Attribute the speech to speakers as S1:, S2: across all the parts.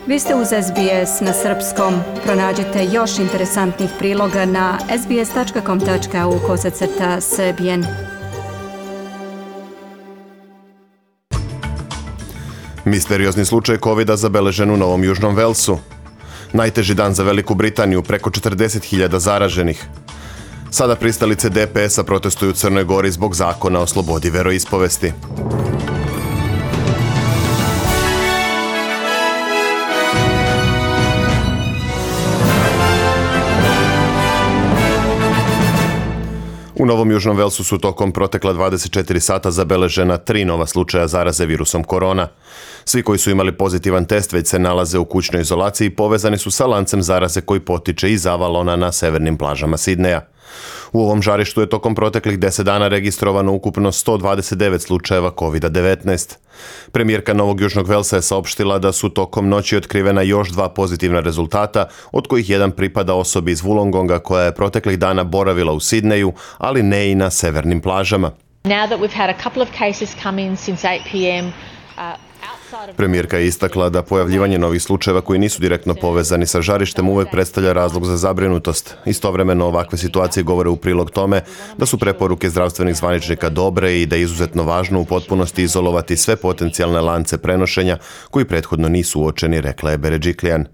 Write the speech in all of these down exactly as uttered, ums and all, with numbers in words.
S1: Vi ste uz S B S na srpskom. Pronađite još interesantnih priloga na sbs tačka com tačka au kosacrta srbijen.
S2: Misteriozni slučaj kovida zabeležen u Novom Južnom Velsu. Najteži dan za Veliku Britaniju, preko četrdeset hiljada zaraženih. Sada pristalice D P S-a protestuju u Crnoj Gori zbog zakona o slobodi veroispovesti. U Novom Južnom Velsu su tokom protekla dvadeset četiri sata zabeležena tri nova slučaja zaraze virusom korona. Svi koji su imali pozitivan test već se nalaze u kućnoj izolaciji i povezani su sa lancem zaraze koji potiče iz Avalona na severnim plažama Sidneja. U ovom žarištu je tokom proteklih deset dana registrovano ukupno sto dvadeset devet slučajeva kovid devetnaest. Premijerka Novog Južnog Velsa je saopštila da su tokom noći otkrivena još dva pozitivna rezultata, od kojih jedan pripada osobi iz Wollongonga koja je proteklih dana boravila u Sidneju, ali ne i na severnim plažama.
S3: Now that we've had a couple of cases come in since eight p m, uh,
S2: Premijerka je istakla da pojavljivanje novih slučajeva koji nisu direktno povezani sa žarištem uvek predstavlja razlog za zabrinutost. Istovremeno ovakve situacije govore u prilog tome da su preporuke zdravstvenih zvaničnika dobre i da je izuzetno važno u potpunosti izolovati sve potencijalne lance prenošenja koji prethodno nisu uočeni, rekla je Berejiklian.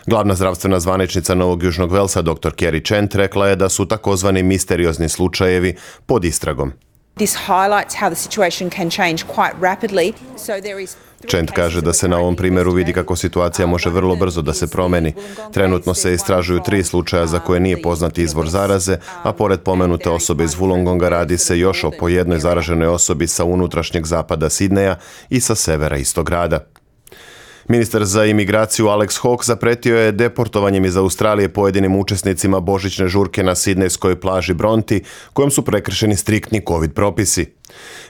S2: Glavna zdravstvena zvaničnica Novog Južnog Velsa, doktor Kerry Chant, rekla je da su takozvani misteriozni slučajevi pod istragom.
S4: This highlights how the situation can change quite rapidly. So there is
S2: Chant kaže da se na ovom primjeru vidi kako situacija može vrlo brzo da se promeni. Trenutno se istražuju tri slučaja za koje nije poznati izvor zaraze, a pored pomenute osobe iz Wollongonga radi se još o po jednoj zaraženoj osobi sa unutrašnjeg zapada Sidneja i sa severa istog grada. Ministar za imigraciju Alex Hawke zapretio je deportovanjem iz Australije pojedinim učesnicima božićne žurke na sidnejskoj plaži Bronte, kojom su prekršeni striktni covid propisi.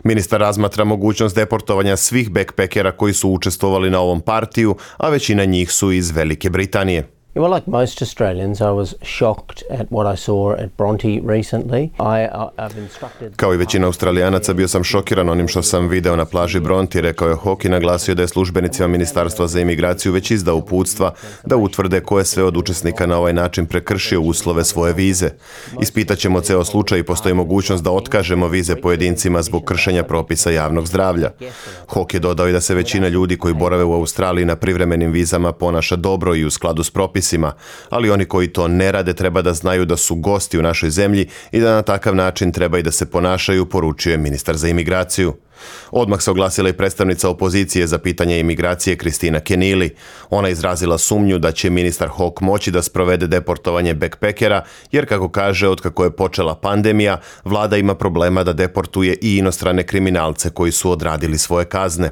S2: Ministar razmatra mogućnost deportovanja svih backpackera koji su učestvovali na ovom partiju, a većina njih su iz Velike Britanije.
S5: Well, like most Australians, I was shocked at what I saw at Bronte recently. I, I've instructed...
S2: Kao i većina Australijanaca bio sam šokiran onim što sam video na plaži Bronte, rekao je Hawke i naglasio da je službenicima Ministarstva za imigraciju već izdao uputstva da utvrde ko je sve od učesnika na ovaj način prekršio uslove svoje vize. Ispitaćemo ceo slučaj i postoji mogućnost da otkažemo vize pojedincima zbog kršenja propisa javnog zdravlja. Hawke je dodao i da se većina ljudi koji borave u Australiji na privremenim vizama ponaša dobro i u skladu s propisima, ali oni koji to ne rade treba da znaju da su gosti u našoj zemlji i da na takav način treba i da se ponašaju, poručio je ministar za imigraciju. Odmah se oglasila i predstavnica opozicije za pitanje imigracije Kristina Kenili. Ona izrazila sumnju da će ministar Hawke moći da sprovede deportovanje backpackera, jer kako kaže, otkako je počela pandemija, vlada ima problema da deportuje i inostrane kriminalce koji su odradili svoje kazne.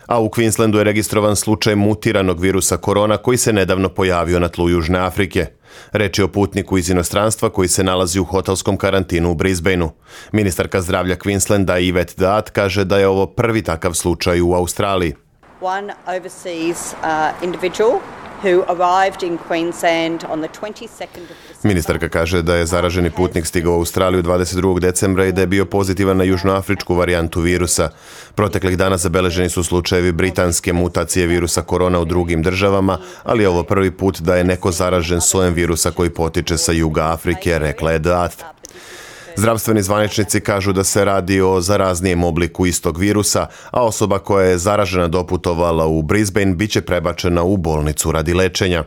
S2: A u Queenslandu je registrovan slučaj mutiranog virusa korona koji se nedavno pojavio na tlu Južne Afrike. Reč je o putniku iz inostranstva koji se nalazi u hotelskom karantinu u Brisbaneu. Ministarka zdravlja Queenslanda Yvette Daat kaže da je ovo prvi takav slučaj u Australiji.
S6: One overseas uh, individual who arrived in Queensland on the twenty-second of December.
S2: Ministarka kaže da je zaraženi putnik stigao u Australiju dvadeset drugog decembra i da je bio pozitivan na južnoafričku varijantu virusa. Proteklih dana zabeleženi su slučajevi britanske mutacije virusa korona u drugim državama, ali je ovo prvi put da je neko zaražen sojem virusa koji potiče sa juga Afrike, rekla je Daat. Zdravstveni zvaničnici kažu da se radi o zaraznijem obliku istog virusa, a osoba koja je zaražena doputovala u Brisbane biće prebačena u bolnicu radi lečenja.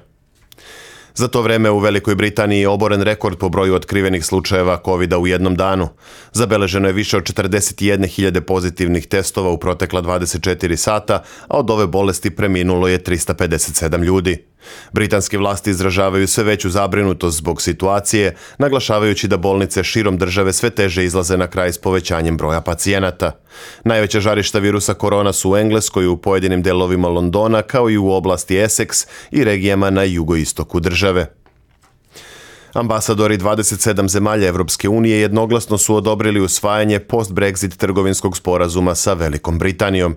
S2: Za to vreme u Velikoj Britaniji je oboren rekord po broju otkrivenih slučajeva kovida u jednom danu. Zabeleženo je više od četrdeset jedne hiljade pozitivnih testova u protekla dvadeset četiri sata, a od ove bolesti preminulo je trista pedeset sedam ljudi. Britanske vlasti izražavaju sve veću zabrinutost zbog situacije, naglašavajući da bolnice širom države sve teže izlaze na kraj s povećanjem broja pacijenata. Najveća žarišta virusa korona su u Engleskoj, u pojedinim delovima Londona, kao i u oblasti Essex i regijama na jugoistoku države. Ambasadori dvadeset sedam zemalja Evropske unije jednoglasno su odobrili usvajanje post-Brexit trgovinskog sporazuma sa Velikom Britanijom.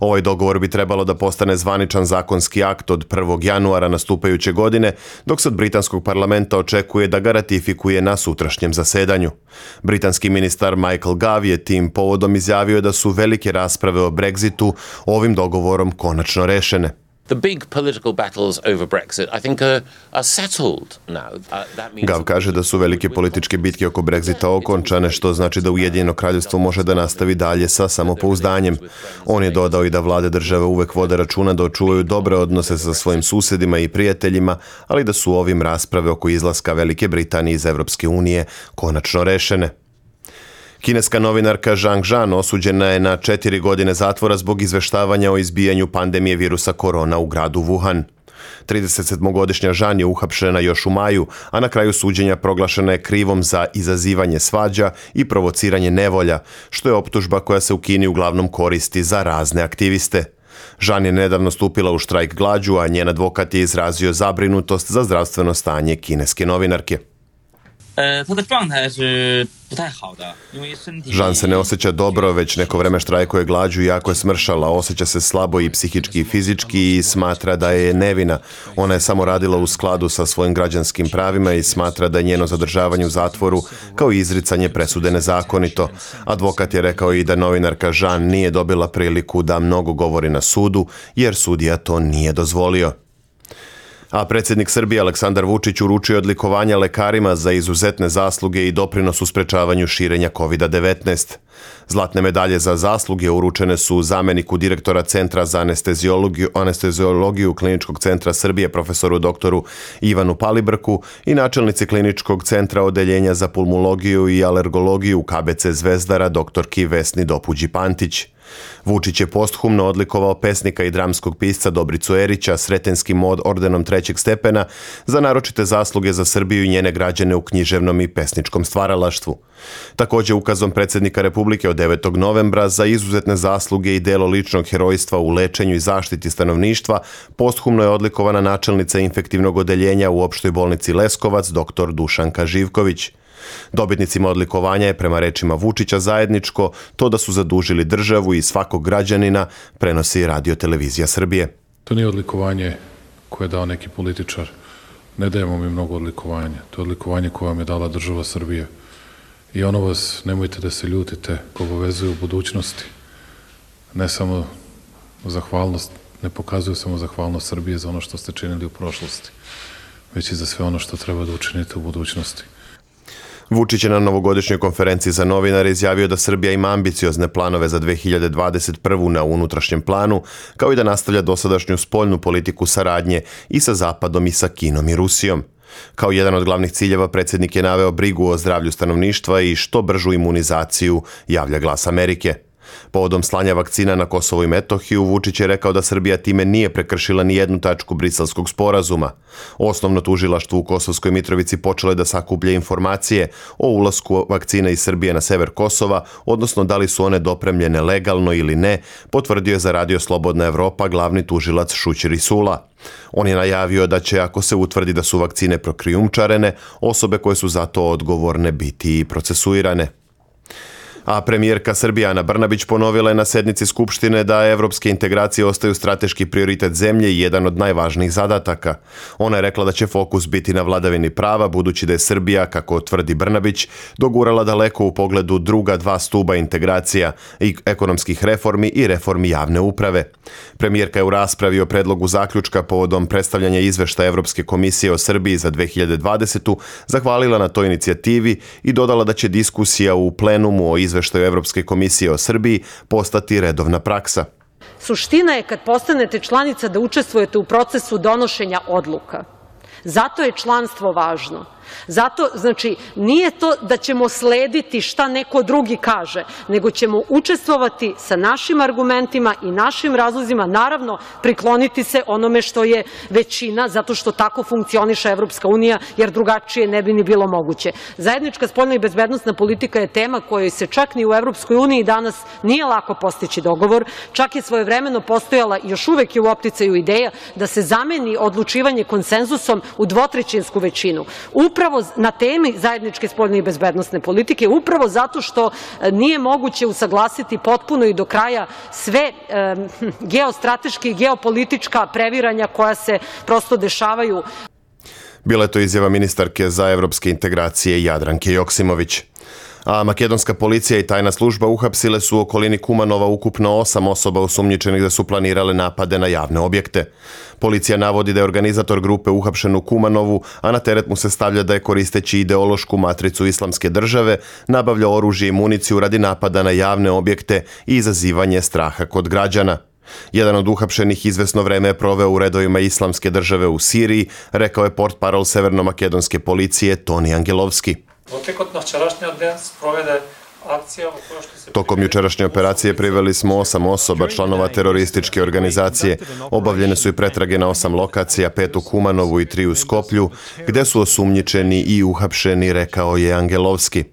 S2: Ovaj dogovor bi trebalo da postane zvaničan zakonski akt od prvog januara nastupajuće godine, dok se od britanskog parlamenta očekuje da ga ratifikuje na sutrašnjem zasedanju. Britanski ministar Michael Gove je tim povodom izjavio da su velike rasprave o Brexitu ovim dogovorom konačno rešene.
S7: The big political battles over Brexit, I think, are, are settled now. Uh, that means...
S2: Gav kaže da su velike političke bitke oko Brexita okončane, što znači da Ujedinjeno kraljevstvo može da nastavi dalje sa samopouzdanjem. On je dodao i da vlade države uvek vode računa da očuvaju dobre odnose sa svojim susedima i prijateljima, ali da su ovim rasprave oko izlaska Velike Britanije iz Evropske unije konačno rešene. Kineska novinarka Zhang Zhan osuđena je na četiri godine zatvora zbog izveštavanja o izbijanju pandemije virusa korona u gradu Wuhan. tridesetsedmogodišnja Zhan je uhapšena još u maju, a na kraju suđenja proglašena je krivom za izazivanje svađa i provociranje nevolja, što je optužba koja se u Kini uglavnom koristi za razne aktiviste. Zhan je nedavno stupila u štrajk glađu, a njen advokat je izrazio zabrinutost za zdravstveno stanje kineske novinarke. Zhan se ne osjeća dobro, već neko vreme štrajkuje glađu i jako je smršala, osjeća se slabo i psihički i fizički i smatra da je nevina. Ona je samo radila u skladu sa svojim građanskim pravima i smatra da je njeno zadržavanje u zatvoru kao i izricanje presude nezakonito. Advokat je rekao i da novinarka Zhan nije dobila priliku da mnogo govori na sudu, jer sudija to nije dozvolio. A predsjednik Srbije Aleksandar Vučić uručio odlikovanja lekarima za izuzetne zasluge i doprinos u sprečavanju širenja kovida devetnaest. Zlatne medalje za zasluge uručene su zameniku direktora Centra za anesteziologiju, anesteziologiju Kliničkog centra Srbije profesoru doktoru Ivanu Palibrku i načelnici Kliničkog centra odeljenja za pulmologiju i alergologiju K B C Zvezdara doktorki Vesni Dopuđi-Pantić. Vučić je posthumno odlikovao pesnika i dramskog pisca Dobricu Erića Sretenskim ordenom trećeg stepena za naročite zasluge za Srbiju i njene građane u književnom i pesničkom stvaralaštvu. Također ukazom predsjednika Republike od devetog novembra za izuzetne zasluge i delo ličnog herojstva u lečenju i zaštiti stanovništva posthumno je odlikovana načelnica infektivnog odeljenja u opštoj bolnici Leskovac doktor Dušanka Živković. Dobitnicima odlikovanja je prema rečima Vučića zajedničko to da su zadužili državu i svakog građanina, prenosi Radio Televizija Srbije.
S8: To nije odlikovanje koje je dao neki političar. Ne dajemo mi mnogo odlikovanja. To je odlikovanje koje vam je dala država Srbije. I ono vas, nemojte da se ljutite, obavezuje u budućnosti. Ne samo zahvalnost, ne pokazuju samo zahvalnost Srbije za ono što ste činili u prošlosti, već i za sve ono što treba da učinite u budućnosti.
S2: Vučić je na novogodišnjoj konferenciji za novinare izjavio da Srbija ima ambiciozne planove za dve hiljade dvadeset prvu na unutrašnjem planu, kao i da nastavlja dosadašnju spoljnu politiku saradnje i sa Zapadom i sa Kinom i Rusijom. Kao jedan od glavnih ciljeva predsjednik je naveo brigu o zdravlju stanovništva i što bržu imunizaciju, javlja Glas Amerike. Povodom slanja vakcina na Kosovo i Metohiju, Vučić je rekao da Srbija time nije prekršila ni jednu tačku Briselskog sporazuma. Osnovno tužilaštvo u Kosovskoj Mitrovici počelo je da sakuplja informacije o ulasku vakcina iz Srbije na sever Kosova, odnosno da li su one dopremljene legalno ili ne, potvrdio je za Radio Slobodna Evropa glavni tužilac Šućir Isula. On je najavio da će, ako se utvrdi da su vakcine prokrijumčarene, osobe koje su za to odgovorne biti i procesuirane. A premijerka Srbije Ana Brnabić ponovila je na sednici Skupštine da evropske integracije ostaju strateški prioritet zemlje i jedan od najvažnijih zadataka. Ona je rekla da će fokus biti na vladavini prava, budući da je Srbija, kako tvrdi Brnabić, dogurala daleko u pogledu druga dva stuba integracija i ekonomskih reformi i reformi javne uprave. Premijerka je u raspravi o predlogu zaključka povodom predstavljanja izveštaja Evropske komisije o Srbiji za dve hiljade dvadesetu zahvalila na toj inicijativi i dodala da će diskusija u plenumu o izveštaju Evropske komisije o Srbiji postati redovna praksa.
S9: Suština je kad postanete članica da učestvujete u procesu donošenja odluka. Zato je članstvo važno. Zato, znači, nije to da ćemo slediti šta neko drugi kaže, nego ćemo učestvovati sa našim argumentima i našim razlozima, naravno prikloniti se onome što je većina, zato što tako funkcioniše Evropska unija, jer drugačije ne bi ni bilo moguće. Zajednička spoljna i bezbednosna politika je tema kojoj se čak ni u Evropskoj uniji danas nije lako postići dogovor, čak je svojevremeno postojala i još uvek je u opticaju ideja da se zameni odlučivanje konsenzusom u dvotrećinsku većinu. Upravo na temi zajedničke spoljne i bezbednosne politike, upravo zato što nije moguće usaglasiti potpuno i do kraja sve e, geostrateške i geopolitička previranja koja se prosto dešavaju.
S2: Bila je to izjava ministarke za evropske integracije Jadranke Joksimović. A makedonska policija i tajna služba uhapsile su u okolini Kumanova ukupno osam osoba osumnjičenih da su planirale napade na javne objekte. Policija navodi da je organizator grupe uhapšen u Kumanovu, a na teret mu se stavlja da je koristeći ideološku matricu islamske države nabavljao oružje i municiju radi napada na javne objekte i izazivanje straha kod građana. Jedan od uhapšenih izvesno vreme je proveo u redovima islamske države u Siriji, rekao je portparol severno-makedonske policije Toni Angelovski. Tokom jučerašnje operacije priveli smo osam osoba, članova terorističke organizacije. Obavljene su i pretrage na osam lokacija, pet u Kumanovu i tri u Skoplju, gde su osumnjičeni i uhapšeni, rekao je Angelovski.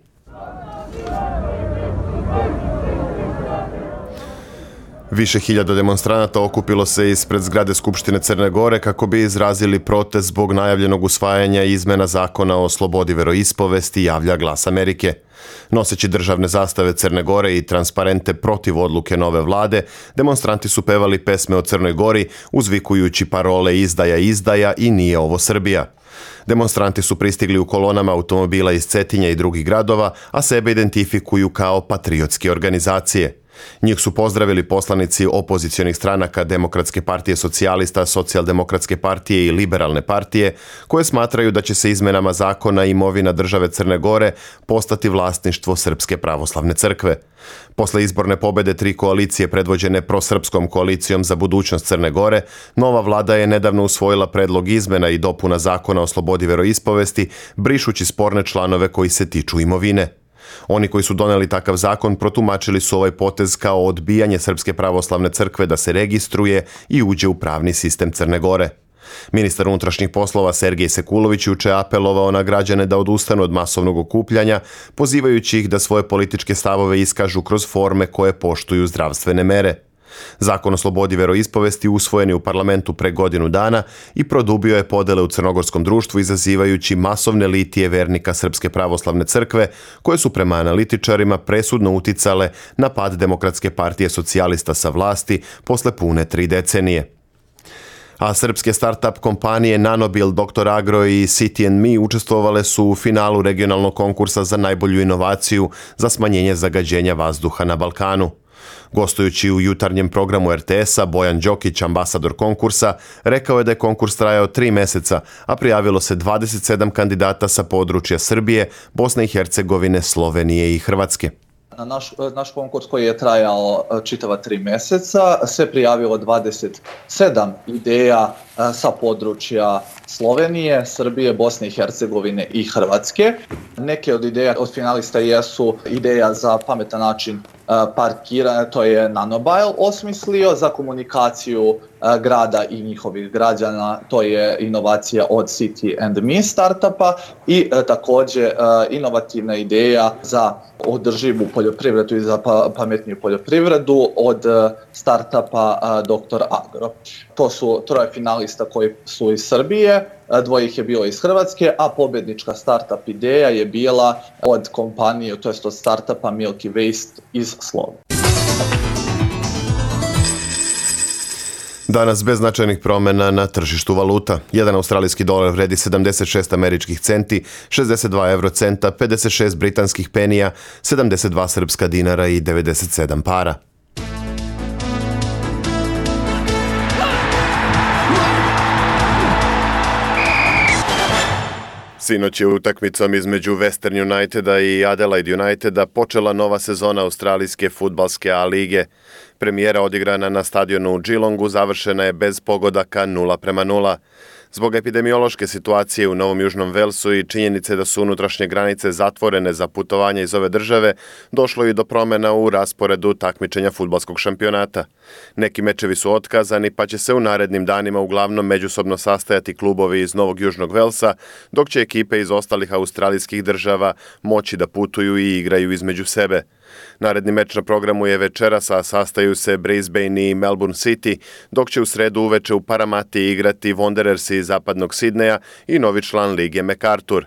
S2: Više hiljada demonstranata okupilo se ispred zgrade Skupštine Crne Gore kako bi izrazili protest zbog najavljenog usvajanja izmena zakona o slobodi veroispovesti, javlja Glas Amerike. Noseći državne zastave Crne Gore i transparente protiv odluke nove vlade, demonstranti su pevali pesme o Crnoj Gori, uzvikujući parole izdaja, izdaja i nije ovo Srbija. Demonstranti su pristigli u kolonama automobila iz Cetinja i drugih gradova, a sebe identifikuju kao patriotske organizacije. Njih su pozdravili poslanici opozicionih stranaka Demokratske partije socijalista, Socijaldemokratske partije i Liberalne partije, koje smatraju da će se izmenama zakona imovina države Crne Gore postati vlasništvo Srpske pravoslavne crkve. Posle izborne pobede tri koalicije predvođene prosrpskom koalicijom za budućnost Crne Gore, nova vlada je nedavno usvojila predlog izmena i dopuna zakona o slobodi veroispovesti, brišući sporne članove koji se tiču imovine. Oni koji su doneli takav zakon protumačili su ovaj potez kao odbijanje Srpske pravoslavne crkve da se registruje i uđe u pravni sistem Crne Gore. Ministar unutrašnjih poslova Sergej Sekulović juče apelovao na građane da odustanu od masovnog okupljanja, pozivajući ih da svoje političke stavove iskažu kroz forme koje poštuju zdravstvene mere. Zakon o slobodi veroispovesti usvojen je u parlamentu pre godinu dana i produbio je podele u crnogorskom društvu, izazivajući masovne litije vernika Srpske pravoslavne crkve, koje su prema analitičarima presudno uticale na pad Demokratske partije socijalista sa vlasti posle pune tri decenije. A srpske start-up kompanije Nanobil, doktor Agro i City and Me učestvovale su u finalu regionalnog konkursa za najbolju inovaciju za smanjenje zagađenja vazduha na Balkanu. Gostujući u jutarnjem programu er te esa, Bojan Đokić, ambasador konkursa, rekao je da je konkurs trajao tri meseca, a prijavilo se dvadeset sedam kandidata sa područja Srbije, Bosne i Hercegovine, Slovenije i Hrvatske.
S10: Na naš, naš konkurs koji je trajao čitava tri meseca se prijavilo dvadeset sedam ideja sa područja Slovenije, Srbije, Bosne i Hercegovine i Hrvatske. Neke od ideja od finalista jesu ideja za pametan način parkiranja, to je Nanobile osmislio, za komunikaciju grada i njihovih građana, to je inovacija od City and Me startupa i također inovativna ideja za održivu poljoprivredu i za pametniju poljoprivredu od startupa doktor Agro. To su troje finalista koji su iz Srbije, dvoje ih je bilo iz Hrvatske, a pobjednička startup ideja je bila od kompanije, to jest od startupa Milky Waste iz Slovenije.
S2: Danas bez značajnih promjena na tržištu valuta. Jedan australijski dolar vredi sedamdeset šest američkih centi, šezdeset dva evrocenta, pedeset šest britanskih penija, sedamdeset dva srpska dinara i devedeset sedam para. Sinoć je utakmicom između Western Uniteda i Adelaide Uniteda počela nova sezona australijske fudbalske A lige. Premijera odigrana na stadionu u Geelongu završena je bez pogodaka nula prema nula. Zbog epidemiološke situacije u Novom Južnom Velsu i činjenice da su unutrašnje granice zatvorene za putovanje iz ove države, došlo je do promjena u rasporedu takmičenja fudbalskog šampionata. Neki mečevi su otkazani, pa će se u narednim danima uglavnom međusobno sastajati klubovi iz Novog Južnog Velsa, dok će ekipe iz ostalih australijskih država moći da putuju i igraju između sebe. Naredni meč na programu je večeras, a sastaju se Brisbane i Melbourne City, dok će u sredu uveče u Paramati igrati Wanderersi iz zapadnog Sidneja i novi član lige MacArthur.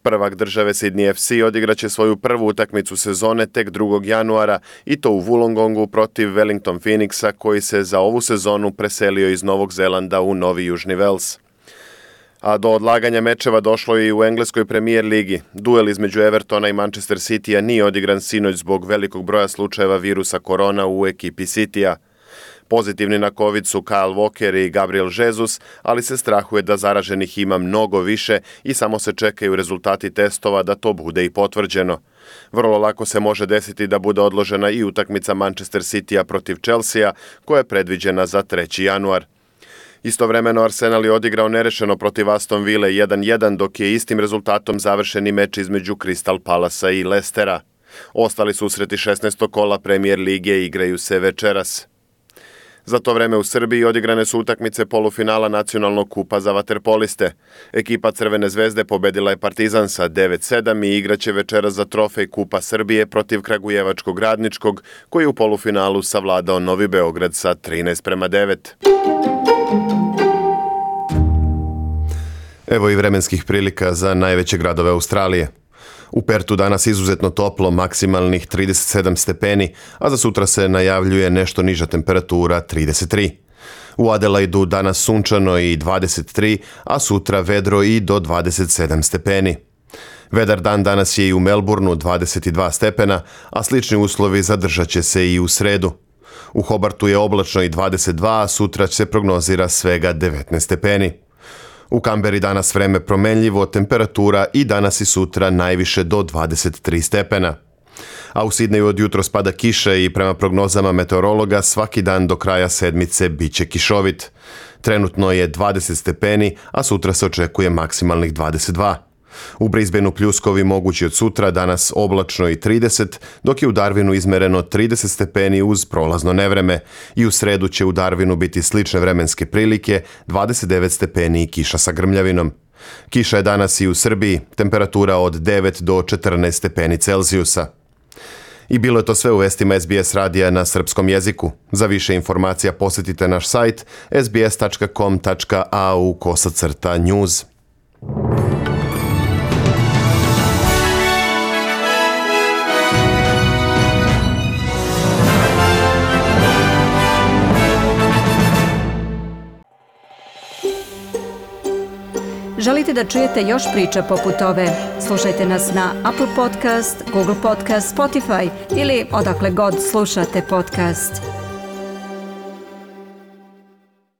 S2: Prvak države Sydney ef ce odigraće svoju prvu utakmicu sezone tek drugog januara i to u Wollongongu protiv Wellington Phoenixa, koji se za ovu sezonu preselio iz Novog Zelanda u Novi Južni Vels. A do odlaganja mečeva došlo je i u engleskoj premijer ligi. Duel između Evertona i Manchester Citya nije odigran sinoć zbog velikog broja slučajeva virusa korona u ekipi Citya. Pozitivni na COVID su Kyle Walker i Gabriel Jesus, ali se strahuje da zaraženih ima mnogo više i samo se čekaju rezultati testova da to bude i potvrđeno. Vrlo lako se može desiti da bude odložena i utakmica Manchester Citya protiv Chelsea, koja je predviđena za treći januar. Istovremeno Arsenal je odigrao nerešeno protiv Aston Ville jedan jedan, dok je istim rezultatom završen i meč između Crystal Palasa i Leicestera. Ostali susreti šesnaestog kola Premier lige igraju se večeras. Za to vreme u Srbiji odigrane su utakmice polufinala nacionalnog kupa za vaterpoliste. Ekipa Crvene zvezde pobedila je Partizan sa devet sedam i igraće večeras za trofej Kupa Srbije protiv Kragujevačkog Radničkog, koji je u polufinalu savladao Novi Beograd sa trinaest prema devet. Evo i vremenskih prilika za najveće gradove Australije. U Pertu danas izuzetno toplo, maksimalnih trideset sedam stepeni, a za sutra se najavljuje nešto niža temperatura trideset tri. U Adelaidu danas sunčano i dvadeset tri, a sutra vedro i do dvadeset sedam stepeni. Vedar dan danas je i u Melbourneu dvadeset dva stepena, a slični uslovi zadržat će se i u sredu. U Hobartu je oblačno i dvadeset dva, a sutra se prognozira svega devetnaest stepeni. U Kamberi danas vreme promenljivo, temperatura i danas i sutra najviše do dvadeset tri stepena. A u Sidneju od jutros pada kiša i prema prognozama meteorologa svaki dan do kraja sedmice biće kišovit. Trenutno je dvadeset stepeni, a sutra se očekuje maksimalnih dvadeset dva. U Brisbaneu pljuskovi mogući od sutra, danas oblačno i trideset, dok je u Darwinu izmereno trideset stepeni uz prolazno nevreme i u sredu će u Darwinu biti slične vremenske prilike, dvadeset devet stepeni i kiša sa grmljavinom. Kiša je danas i u Srbiji, temperatura od devet do četrnaest stepeni Celzijusa. I bilo je to sve u vestima S B S radija na srpskom jeziku. Za više informacija posjetite naš sajt s b s tačka com tačka a u kosacrta news.
S1: Želite da čujete još priča poput ove? Slušajte nas na Apple Podcast, Google Podcast, Spotify ili odakle god slušate podcast.